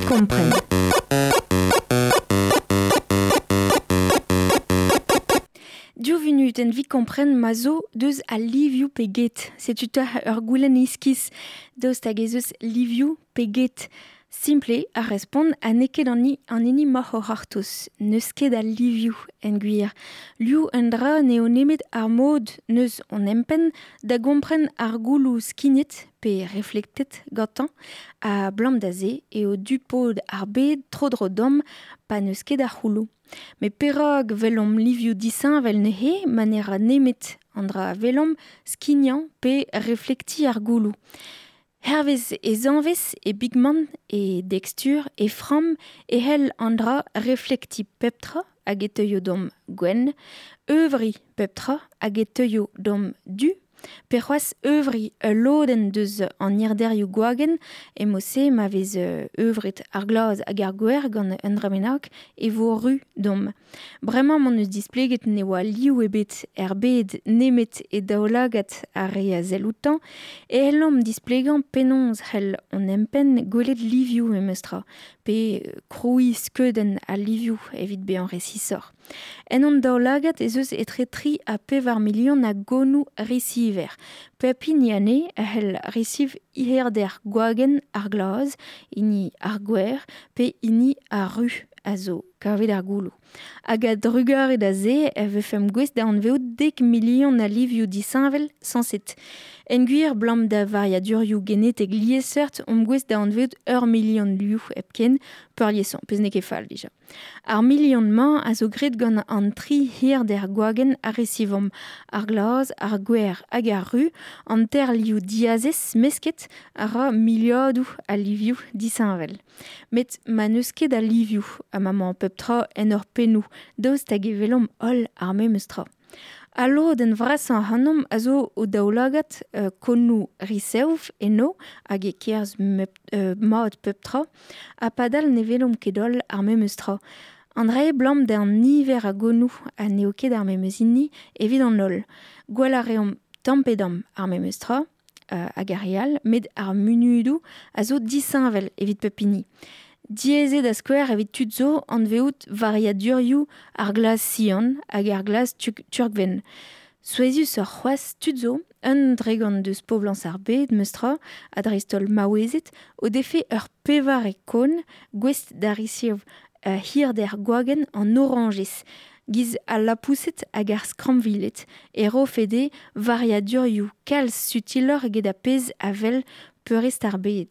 Kompren. Div vunutenn 'vit kompren ma zo deus al livioù pe get. Setu 'ta ur goulenn iskis. Daoust hag ez eus livioù pe get? Simpl eo ar respont ha n'eo ket an an hini 'maoc'h o c'hortoz. N'eus ket a livioù en gwir. Liv un dra n'eo nemet ar mod n'eus hon empenn da gompren ar gouloù skignet pe reflektet gantañ ha 'blam da se eo du-pod ar bed tro-dro deomp pa n'eus ket a c'houloù. Met perak 'welomp livioù disheñvel neuze ma ne ra nemet an dra a welomp skignañ pe reflektiñ ar gouloù? Hervez e zanvez, e bigmant, e dekstur, e framm e c'hell an dra reflektiñ pep tra hag e teuio deomp gwenn, euvriñ pep tra hag e teuio deomp du, pe c'hoazh euvriñ ul lodenn deus an hirderioù gwagenn e-mod-se ma vez euvret ar glaz hag ar gwer gant un dra bennak e vo ru deomp. Bremañ m'hon eus displeget ne oa liv ebet er bed nemet e daoulagad ar re a sell outañ e c'hellomp displegañ penaos c'hell hon empenn gwelet livioù memestra pe krouiñ skeudenn al livioù evit bezañ resisoc'h. En hon daoulagad ez eus etre tri ha pevar milion a gonoù resiver. Pep hini anezhe a c'hell resiv hirder gwagenn ar glaz, hini ar gwer pe hini ar ru a zo kavet ar gouloù. Hag a-drugarez da se e vefemp gouest da anvezout dek milion a livioù disheñvel sañset. En gwir, 'blam da variadurioù genetek liesseurt omp gouest da anvezout ur milion liv hepken peurliesañ, pezh n'eo ket fall dija. Ar milion-mañ a zo graet gant an tri hirder gwagenn a resivomp, ar glaz, ar gwer hag ar ru, an teir liv diazez mesket a ra miliadoù a livioù disheñvel. Met ma n'eus ket a livioù ha ma 'mañ pep tra en hor pennoù, daoust hag e welomp holl ar memes tra? Al lodenn vrasañ ac'hanomp a zo o daoulagad konoù resev enno hag e kerzh mat pep tra ha padal ne welomp ket holl ar memes tra. An dra eo 'blam d'an niver a gonoù ha n'eo ket ar memes hini evit an holl. Gwell a reomp tamm pe damm ar memes tra hag ar re all met ar munudoù a zo disheñvel evit pep hini. Diaes eo da skouer evit tud zo anvezout variadurioù ar glaz sian hag ar glaz turkvenn. Souezhusoc'h c'hoazh tud zo, un dregont deus poblañs ar bed meus-tra, ha dreist-holl maouezed, o defe ur pevare kon gouest da resev hirder gwagenn an orañjez, giz al lapoused hag ar skrammviled, e rofe dezhe variadurioù kalz sutiloc'h eget ar pezh a wel peurrest ar bed.